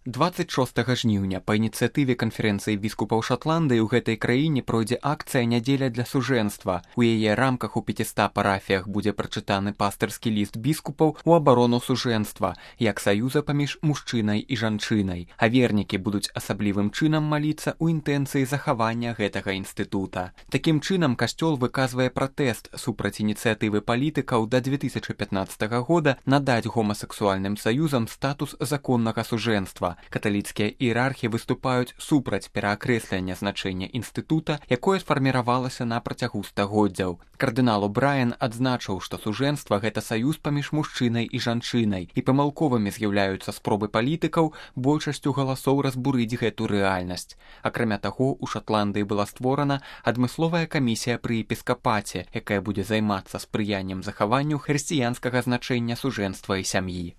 26 жніўня па ініцыятыве канферэнцыі біскупаў Шатландыі ў гэтай краіне пройдзе акцыя «Нядзеля для сужэнства». У яе рамках у 500 парафіях будзе прачытаны пастырскі ліст біскупаў у абарону сужэнства, як саюза паміж мужчынай і жанчынай. А вернікі будуць асаблівым чынам маліцца ў інтэнцыі захавання гэтага інстытута. Такім чынам касцёл выказвае пратэст супраць ініцыятывы палітыкаў да 2015 года надаць гомасексуальным саюзам статус законнага сужэнства. Каталіцкія іерархі выступаюць супраць пераакрэслення значэння інстытута, якое сфарміравалася на працягу стагоддзяў. Кардынал О'Брайен адзначыў, што сужэнства – гэта саюз паміж мужчынай і жанчынай, і памылковымі з'яўляюцца спробы палітыкаў большасцю галасоў разбурыць гэту рэальнасць. Акрамя таго, у Шатландыі была створана адмысловая камісія пры епіскапаце, якая будзе займацца спрыяннем захаванню хрысціянскага значэння сужэнства і сям'і.